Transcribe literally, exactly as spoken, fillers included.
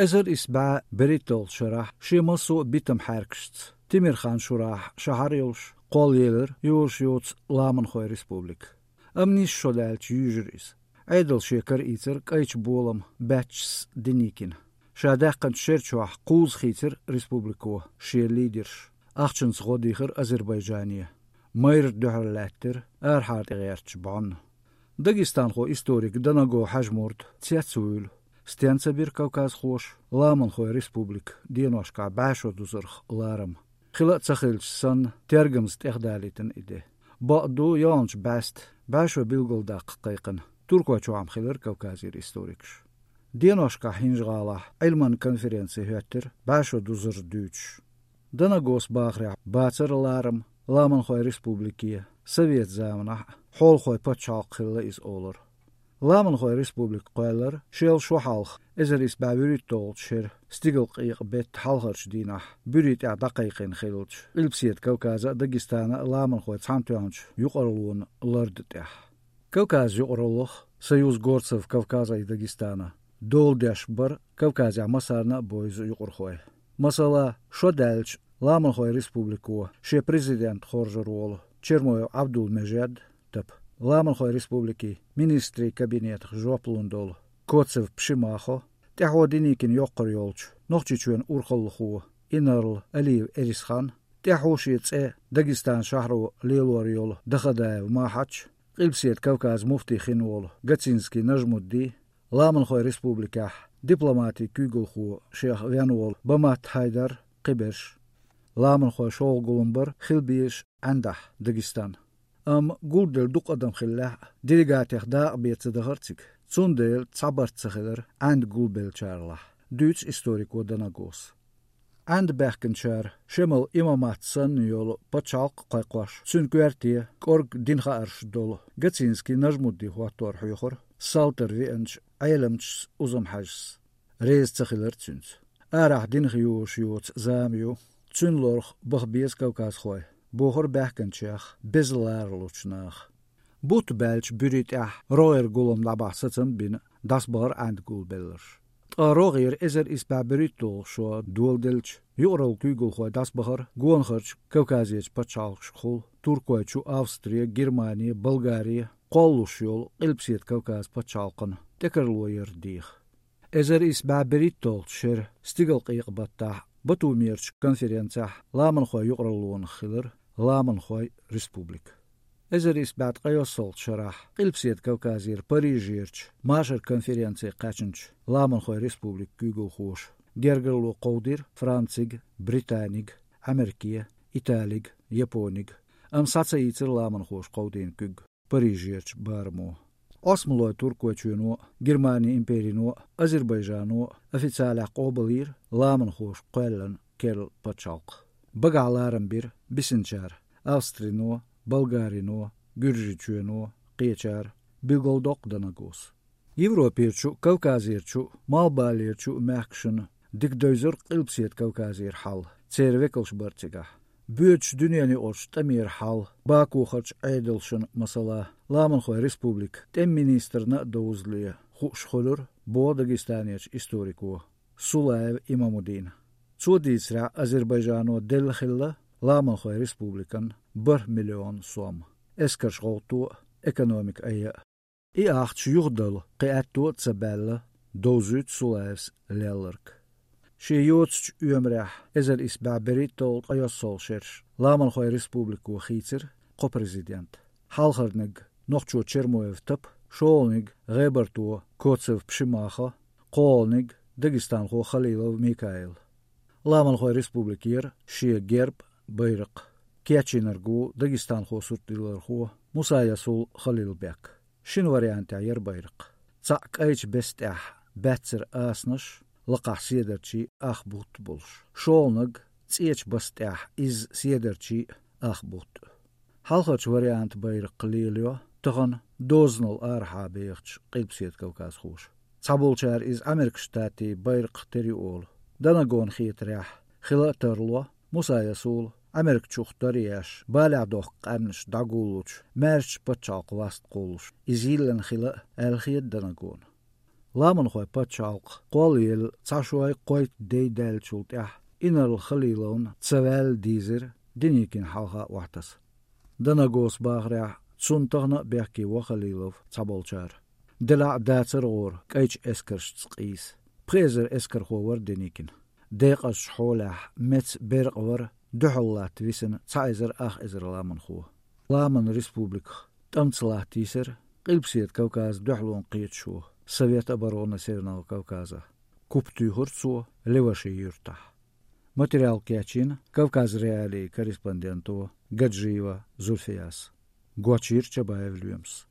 Эзар исс бӀаь берхӀитталгӀачу шарахь шен массо а битам-хьаьркашца Темирхан-Шурахь шахьар йолуш кхоллаелира йозуш йоцу Ламанхойн республика. Амма нийсса шо даьлча юьйжира иза. Ӏедал шен кара ийцира кӀайчу болам баьччас Деникина. Ша даьккхинчу шеран чохь кхузза хийцира республико шен лидерш. Ахчанца гӀо дийхира Азербайджане. Майрра дуьхьал лаьттира арахьара тӀегӀертачу бӀонна. Дагестанхо-историк Данаго Хьаьжмурд цец а вуьйлу, стенна ца бира кавказхоша Ламанхойн республика деношкахь бӀаьшо дузарх ларам. Хила а ца хилча санна, тергамза тӀехдалийтина и де. Бакъду, йоьалгӀачу бӀаьста бӀаьшо билгалдаккха кхайкхина. Туркойчохь-м хилира Кавказера историкаш. Деношкахь ХӀинжа-ГӀалахь Ӏилман конференци хӀоьттира бӀаьшо дузар дуьйцуш. Данагос бахарехь, бацара ларам Ламанхойн республике, совет заманахь а хьолахойн пачхьалкх хилла иза олура. Ламанхойн республика кхоьллира шел шо хьалха, эзар исс бӀаь вуьрхӀитталгӀачу шеран стигалкъекъа беттан хьалхарчу дийнахь, буьри тӀехь дӀакхайкхийна хиллачу Къилбаседа Кавказан а, Дагестанан а ламанхойн цхьаьнатоьхначу юкъараллин ларда тӀехь. Кавказан юкъараллах, Союз горцев Кавказа и Дагестана, дола деш бара Кавказехь массарна а бевза юкъархой. Масала, шо даьлча, Ламанхойн республико шен президент хоржур волу Чермоев Ӏабдул-Межед, тап, Ламанхойн республикин министрийн кабинетах жоп лун долу Коцев Пшимахо, тӀаьхьо Деникина йоккхур йолчу Нохчийчоьнан урхаллахо инарла Алиев Эрисхан, тӀаьхьо шен цӀе Дагестанан шахьаро лелор йолу Дахадаев Махьач, Къилбаседа Кавказан муфти хин волу Гацинский Нажмудди, Ламанхойн республикехь дипломатин куьйгалхо шех вен волу Бамат Хьайдар, кхиберш. Ламанхойн шолгӀа гулам бара хила безаш Ӏандахь Дагестан. Амма гулделла дукха адам хиллехь а, делегатех дакъа бен ца дахара цига. Цундела цхьа барт ца хилира Ӏанда гулбеллачарлахь, дуьйцу историко Данагос. Ӏанда баьхкинчара Шемал имамат санна йолу пачхьалкх а кхойкхош, цуьнан коьрте кӀорга динан хаарш долу Гацинский Нажмудди хӀоттор хьоьхура салтара веанчу Ӏеламчу Узам-Хьаьжас. Реза ца хилира цуьнца. Арахь динах йозуш йоцу зама ю, цуьнан лорах баха беза кавказхой, бохура баьхкинчех беза ларалучу наха. Бутт баьлча буьри тӀехь рогӀера гулам дӀабахьа сацам а бина, дӀасабахара Ӏанда гулбелларш. Ткъа рогӀера эзар исс бӀаь берхӀитталгӀа шо доладелча, юкъараллин куьйгалхой дӀасабахара гонахарчу Кавказерчу пачхьалкхашкахула, Туркойчу, Австре, Германе, Болгаре кхоллалуш йолу Къилбаседа Кавказан пачхьалкхана тӀекарло яр деха. Эзар исс бӀаь берхӀитталгӀачу шеран стигалкъекъа баттахь Батумерчу конференцехь ламанхойн юкъараллонах хилира Ламанхойн республика. Эзар исс бӀе ткъайоьссалгӀачу шарахь Къилбаседа Кавказера Парижерчу машаран конференце кхаьчначу Ламанхойн республикан куьйгалхоша гергарло кховдийра Францига, Британига, Америке, Италига, Японига, амма схьа ца ийцира ламанхоша кховдийна куьг Парижерчу барамо. Ӏосмалойн Туркойчоьно а, Германин империно а, Азербайджано а официалехь къобалйира ламанхоша кхоьллина керла пачхьалкх. Багахь ларам бира бисинчара: Австрино, Болгарино, Гуьржийчоьно, кхечара, билгалдоккху Данагос. Европерчу а, Кавказерчу а, Малхбалерчу а мехкашна дика девзира Къилбаседа Кавказера хьал, церан векалш бара цигахь. Боьдучу дуьненаюкъарчу тӀамера хьал, Бакухарчу Ӏедалшна, масала, Ламанхойн республикан тӀеман министрна а довзале хууш хуьлура, боху Дагестанерчу историко Сулаев Имамудина. Цо дийцарехь, Азербайджано делла хилла Ламанхойн республикана бархӀ миллион сом, эскарш гӀовтто а, экономика айа а. И ахча юхадала кхин аьтто а ца баьлла, довзуьйту Сулаевс лелларг. Шен йоцучу оьмарехь эзар исс бӀе берхӀитталгӀа ткъайоьссалгӀа шераш Ламанхойн республико хийцира кхо президент. Хьалхарниг нохчо Чермоев Тап, шолгӀаниг гӀебарто Коцев Пшимахо, кхоалгӀаниг дагестанхо Халилов Микаил. Ламанхойн республикера шен герб, байракх. Кечйинарг ву дагестанхо суртдиллархо Мусаясул Халилбек. Шина вариантехь яра байракх. Цхьаъ кӀайчу беса тӀехь баьццара асанаш, лакхахь седарчий а, ах бутт а болуш. ШолгӀаниг цӀечу баса тӀехь изза седарчий а, ах бутт а. Хьалхарчу вариантан байракх лелайо тахана дозанал арахьа бехачу Къилбаседа кавказхоша. Цхьаболчара иза Ӏамеркан Штатийн байракх тера ю олу. Данагона хетарехь, хила а тарло, Мусаясула Ӏамеркачух тар а еш, балехь дохку къаьмнаш дӀагуллучу маьршачу пачхьалкхан васт кхуллуш, иза йиллина хила а, аьлла хета Данагона. Ламанхойн пачхьалкх кхоллаелла цхьа шоай кхойтта дай даьллачул тӀаьхьа Инарла Халиловна ца ваьлла дийзира Деникина хьалха охьатаса. Данагоса бахарехь, цунна тахана а бехке во Халилов цхьаболчара. Делахь а дацара гӀора кӀайчу эскаршца къийса. Пхи эзар эскархо вара Деникин. Декъазчу хьолехь меца беркъа вара дуьхьал латта висина цхьа эзар ах эзар ламанхо. Ламанан республиках тӀамца латта йисира Къилбаседа Кавказан дуьхьалонан кхеташо, Совет обороны Северного Кавказа. Куп туьйхира цо Леваши юьртахь. Материал кечйина Кавказ.Реалии корреспонденто Гаджиева Зульфияс. Гочйира Чабаев Лоьмас.